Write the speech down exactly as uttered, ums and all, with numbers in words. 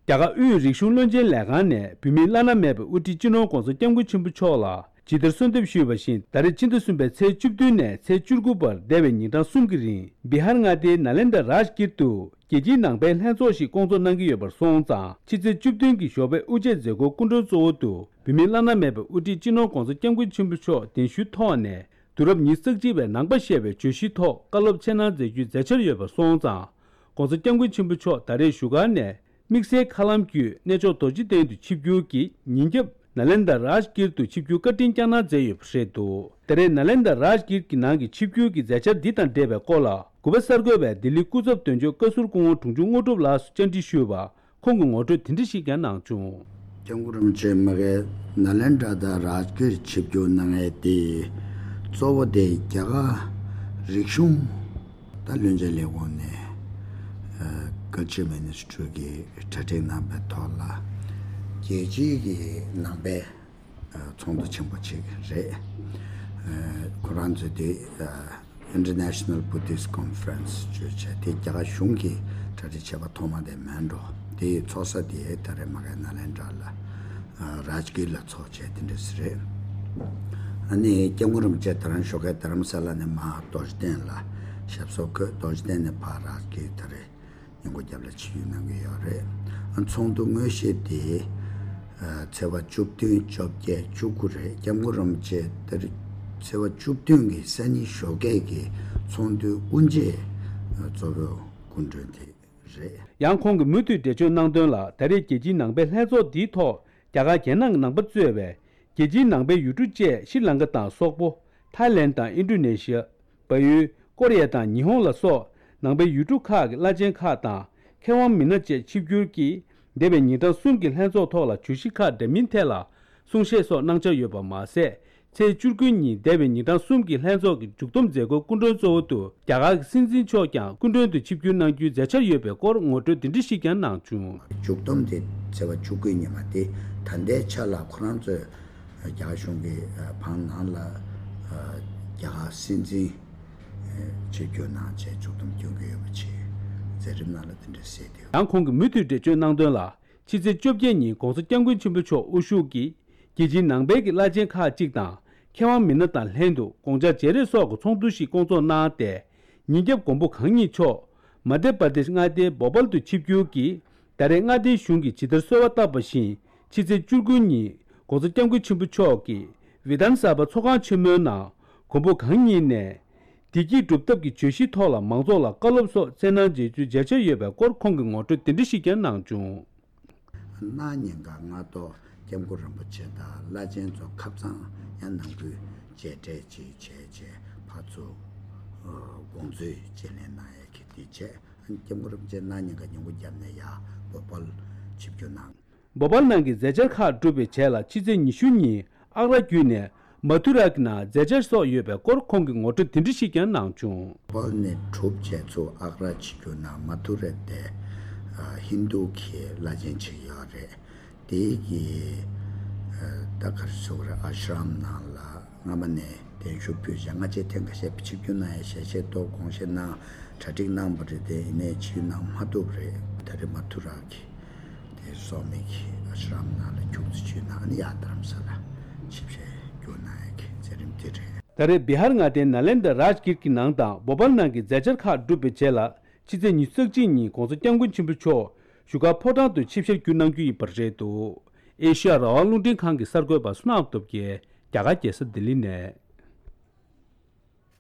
རྒྱ་གར་དབུས་རིག་གཞུང་བློན་ཆེན་ལས་ཁང་ནས་བོད་མིའི་བླ་ན་མེད་པའི་དབུ་ཁྲིད་སྤྱི་ནོར་༧གོང་ས་༧སྐྱབས་མགོན་ཆེན་པོ་མཆོག་ལ་ཇི་ལྟར་གསོལ་འདེབས་ཞུས་པ་བཞིན། ད་རེས་ཕྱི་ཟླ་གསུམ་པའི་ཚེས་བཅུ་བདུན་ནས་ཚེས་བཅུ་དགུ་བར་འདས་པའི་ཉིན་གྲངས་གསུམ་གྱི་རིང་བི་ཧར་མངའ་སྡེའི་ནཱ་ལེནྡྲ་རཱཇ་གིར་དུ་རྒྱལ་སྤྱིའི་ནང་པའི་ལྷན་ཚོགས་ཤིག་བསྐོང་ཚོགས་གནང་གི་ཡོད་པར་སོང་ཙང་། ཕྱི་ཚེས་བཅུ་བདུན་གྱི་ཞོགས་པའི་དབུ་འབྱེད་མཛད་སྒོའི་སྐུ་མགྲོན་གཙོ་བོ་དུ་བོད་མིའི་བླ་ན་མེད་པའི་དབུ་ཁྲིད་སྤྱི་ནོར་༧གོང་ས་༧སྐྱབས་མགོན་ཆེན་པོ་མཆོག་གདན་ཞུའི་ཐོག་ནས་དུས་རབས་ཉི་ཤུ་རྩ་གཅིག་པའི་ནང་པ་ཞེས་པའི་བརྗོད་གཞིའི་ཐོག་བཀའ་སློབ་འཆད་གནང་མཛད་རྒྱུའི་མཛད་འཆར་ཡོད་པར་སོང་ཙང་། ༧གོང་ས་༧སྐྱབས་མགོན་ཆེན་པོ་མཆོག་ད་རེས་བཞུགས་སྒར་ནས་དམིགས་བསལ་མཁའ་ལམ་བརྒྱུད་གནས་མཆོག་རྡོ་རྗེ་གདན་དུ་ཆིབས་བསྒྱུར་གྱིས་ཉིན་རྒྱབ་ནཱ་ལེནྡྲ་རཱཇ་གིར་དུ་ཆིབས་བསྒྱུར་བཀའ་དྲིན་བསྐྱངས་གནང་མཛད་ཡོད་པ་རེད་འདུག་ད་རེས་ནཱ་ལེནྡྲ་རཱཇ་གིར་གྱི་ནང་གི་ཆིབས་བསྒྱུར་གྱི་མཛད་འཆར་འདི་དང་འབྲེལ་བའི་སྐོར་ལ། གུས་པ་གསར་འགོད་པས་ལྡི་ལི་སྐུ་ཚབ་དོན་གཅོད་བཀའ་ཟུར་སྐུ་ངོ་དྲུང་ཆུང་དངོས་གྲུབ་ལགས་སུ་བཅར་འདྲི་ཞུས་པར། ཁོང་གིས་ངོ་སྤྲོད་དེ་འདྲ་ཞིག་ཀྱང་གནང་བྱུང་། སྐྱབས་མགོན་རིན་པོ་ཆེ་མ་གིར་ནཱ་ལེནྡྲ་དང་རཱཇ་གིར་ཆིབས་བསྒྱུར་གནང་ཡས་དེ་གཙོ་བོ་དེ་རྒྱ་གར་རིག་གཞུང་ད་བློན་ཆེན་ལས་ཁུངས་ནས་ཨ་Culture Ministry་གི་གྲ་སྒྲིག་གནང་པའི་ཐོག་ལ་རྒྱལ་སྤྱིའི་གི་ནང་པའི་ཚོགས་འདུ་ཆེན་པོ་ཅིག་རེད། ཁོ་རང་ཚོས་དེ་International Buddhist Conference་ཅེས་བྱས་དེ་རྒྱ་གར་གཞུང་གིས་གྲ་སྒྲིག་བྱས་པ་ཐོག་མ་དེ་མིན་འགྲོ། དེའི་ཚོགས་ས་དེ་ད་རེས་མ་གིར་ནཱ་ལེནྡྲ་ལ་རཱཇ་གིར་ལ་ཚོགས་བྱས་དེ་འདྲ་ཞིག་རེད། ཨ་ནི་སྐྱབས་མགོན་རིན་པོ་ཆེ་དེ་རིང་ཞོགས་ཀས་རྡ་རམ་ས་ལ་ནས་མར་རྡོ་རྗེ་གདན་ལ་ཞབས་སོར་འཁོད། རྡོ་རྗེ་གདན་ནས་ཕར་རཱཇ་གིར་ད་རེས་ཉིན་གུང་རྒྱབ་ལ་ཆིབས་བསྒྱུར་གནང་གི་ཡོད་རེད། ཨ་ཚོགས་འདུ་དངོས་གཞི་དེ་ཨ་ཚེས་པ་བཅུ་བདུན་བཅོ་བརྒྱད་བཅུ་དགུ་རེད། སྐྱབས་མགོན་རིན་པོ་ཆེ་དེ་རིང་ཚེས་པ་བཅུ་བདུན་གྱི་སང་ཉིན་ཞོགས་ཀས་ཀྱི་ཚོགས་འདུའི་དབུ་འབྱེད་ཨ་གཙོ་བོའི་སྐུ་མགྲོན་དེ་རེད། ཡང་ཁོང་གིས་མུ་མཐུད་འགྲེལ་བརྗོད་གནང་དོན་ལ། ད་རེས་རྒྱལ་སྤྱིའི་ནང་པའི་ལྷན་ཚོགས་འདིའི་ཐོག་རྒྱ་གར་རྒྱལ་ནང་གི་ནང་པ་གཙོས་པའི་རྒྱལ་སྤྱིའི་ནང་པའི་ཡུལ་གྲུ་བཅས་ཤྲི་ལངྐ་དང་སོག་པོ། ཐའི་ལེན་དང་ཨིན་ཌོ་ནེ་ཤི་ཡ། བལ་ཡུལ། ཀོ་རི་ཡ་དང་ཉི་ཧོང་ལ་སོགས་ནང་པའི་ཡུལ་གྲུ་ཁག་གི་བླ་ཆེན་ཁག་དང་མཁས་དབང་མི་སྣ་བཅས་ཆིབས་བསྒྱུར་གྱིས་འདས་པའི་ཉིན་གྲངས་གསུམ་གྱི་ལྷན་ཚོགས་ཐོག་ལ་བརྗོད་གཞི་ཁག་འདྲ་མིན་ཐད་ལ་གསུང་བཤད་སོགས་གནང་འཆར་ཡོད་པ་མ་ཟད། ཚེས་བཅུ་དགུ་ཉིན་འདས་པའི་ཉིན་གྲངས་གསུམ་གྱི་ལྷན་ཚོགས་ཀྱི་མཇུག་བསྡོམས་མཛད་སྒོའི་སྐུ་མགྲོན་གཙོ་བོ་དུ་རྒྱ་གར་གྱི་སྲིད་འཛིན་མཆོག་ཀྱང་སྐུ་མགྲོན་དུ་ཆིབས་བསྒྱུར་གནང་རྒྱུའི་མཛད་འཆར་ཡོད་པའི་སྐོར་ངོ་སྤྲོད་འདི་འདྲ་ཞིག་ཀྱང་གནང་བྱུང་། མཇུག་བསྡོམས་དེ་ཚེས་པ་བཅུ་དགུ་ཉིན་མ་དེ་ད་ལྟའི་ཆ་ལ་ཁོ་རང་ཚོས་རྒྱ་གར་གཞུང་གི་བང་ནང་ལ་རྒྱ་གར་སྲིད་འཛིན་ཆིབས་བསྒྱུར་གནང་བྱས་མཇུག་བསྡོམས་སྐྱོན་གྱི་ཡོད་པ་བྱས། མཛད་རིམ་ནང་ལ་དེ་འདྲ་གསལ་འདུག་ཡང་ཁོང་གིས་མུ་མཐུད་འགྲེལ་བརྗོད་གནང་དོན་ལ། ཕྱི་ཚེས་བཅོ་བརྒྱད་ཉིན་༧གོང་ས་༧སྐྱབས་མགོན་ཆེན་པོ་མཆོག་དབུ་བཞུགས་ཀྱིས་རྒྱལ་སྤྱིའི་ནང་པའི་གི་བླ་ཆེན་ཁག་ཅིག་དང་མཁས་དབང་མི་སྣ་དང་ལྷན་དུ་དགོངས་འཆར་བརྗེ་རེས་སོགས་ཀྱི་ཚོགས་འདུ་ཞིག་བསྐོང་ཚོགས་གནང་སྟེ། ཉིན་རྒྱབ་མགོན་པོ་གང་ཉིད་མཆོག་མ་དྷྱ་པར་དེཤ་མངའ་སྡེའི་བོ་པལ་དུ་ཆིབས་བསྒྱུར་གྱིས་ད་རེས་མངའ་སྡེའི་གཞུང་གིས་ཇི་ལྟར་གསོལ་བ་བཏབ་པ་བཞིན་ཕྱི་ཚེས་བཅུ་དགུ་ཉིན་༧གོང་ས་༧སྐྱབས་མགོན་ཆེན་པོ་མཆོག་གིས་བི་དྷཱན་ས་བྷ་ཚོགས་ཁང་ཆེན་མོའི་ནང་མགོན་པོ་གང་ཉིད་ནས་བདེ་སྐྱིད་སྒྲུབ་ཐབས་ཀྱི་བརྗོད་གཞིའི་ཐོག་ལ་མང་ཚོགས་ལ་བཀའ་སློབ་སོགས་སྩལ་གནང་མཛད་རྒྱུའི་མཛད་འཆར་ཡོད་པའི་སྐོར་ཁོང་གིས་ངོ་སྤྲོད་དེ་འདྲ་ཞིག་ཀྱང་གནང་བྱུང་། གནངས་ཉིན་ཀ་སྔ་ཐོག་སྐྱབས་མགོན་རིན་པོ་ཆེ་དང་བླ་ཆེན་ཚོ་ཁབ་གཙང་ཡང་ནང་ཁུལ་མཇལ་འཕྲད་ཅིག་བྱས་རྗེས་ཕར་ཚུར་དགོང་ཚོའི་མཇལ་ལན་གནང་ཡས་ཀྱི་དེ་བྱས། སྐྱབས་མགོན་རིན་པོ་ཆེ་གནངས་ཉིན་ཀ་ཉིན་གུང་རྒྱབ་ནས་ཡར་བོ་པལ་ཆིབས་བསྒྱུར་གནང་། བོ་པལ་ནང་གི་མཛད་འཆར་ཁག་གྲུབ་པའི་རྗེས་ལ་ཕྱི་ཚེས་ཉི་ཤུ་ཉིན་ཨག་ར་བརྒྱུད་ནས་མ་ཐུ་ར་གི་ནང་མཛད་འཆར་སོགས་ཡོད་པའི་སྐོར་ཁོང་གིས་ངོ་སྤྲོད་དེ་འདྲ་ཞིག་ཀྱང་གནང་བྱུང་། བོ་པལ་ནས་གྲུབ་རྗེས་ཚུར་ཨག་ར་ཆིབས་བསྒྱུར་གནང་། མ་ཐུ་ར་དེ་ཧིན་དུ་གི་བླ་ཆེན་ཅིག་ཡོད་རེད། དེ་གི་ད་ག་རེ་ཟེར་དགོས་རེད། ཨ་ཤྲམ་ནང་ལ་སྔ་མ་ནས་གདན་ཞུ་ཕུལ་བྱས། སྔ་རྗེས་ཐེངས་ཁ་ཤས་ཆིབས་བསྒྱུར་གནང་ཡ་ཞལ་བཞེས་ཐོག་དགོངས་བཞེས་གནང་། གྲ་སྒྲིག་གནང་བ་རེད། དེ་ཡིན་ནའི་ཆིབས་བསྒྱུར་གནང་མ་ཐུབ་པ་རེད། ད་རེས་མ་ཐུ་ར་གི་དེ་སོག་མི་གི་ཨ་ཤྲམ་ནང་ལ་ཁྱུག་ཙམ་ཆིབས་བསྒྱུར་གནང་། ཨ་ནི་ཡར་རྡ་རམ་ས་ལ་ཆིབས་ཞལ་བསྒྱུར་གནང་ཡ་གི་མཛད་རིམ་དེ་རེད། ད་རེས་བི་ཧར་མངའ་སྡེའི་ནཱ་ལེནྡྲ་རཱཇ་གིར་གྱི་ནང་དང་བོ་པལ་ནང་གི་མཛད་འཆར་ཁག་གྲུབ་པའི་རྗེས་ལ། ཕྱི་ཚེས་ཉི་ཤུ་རྩ་གཅིག་ཉིན་༧གོང་ས་༧སྐྱབས་མགོན་ཆེན་པོ་མཆོག་བཞུགས་སྒར་ཕོ་བྲང་དུ་ཆིབས་ཞལ་བསྒྱུར་གནང་རྒྱུ་ཡིན་པ་རེད་འདུག་ཨེ་ཤི་ཡ་རང་དབང་རླུང་འཕྲིན་ཁང་གི་གསར་འགོད་པ་བསོད་ནམས་སྟོབས་རྒྱལ། རྒྱ་གར་རྒྱལ་ས་ལྡི་ལི་ནས།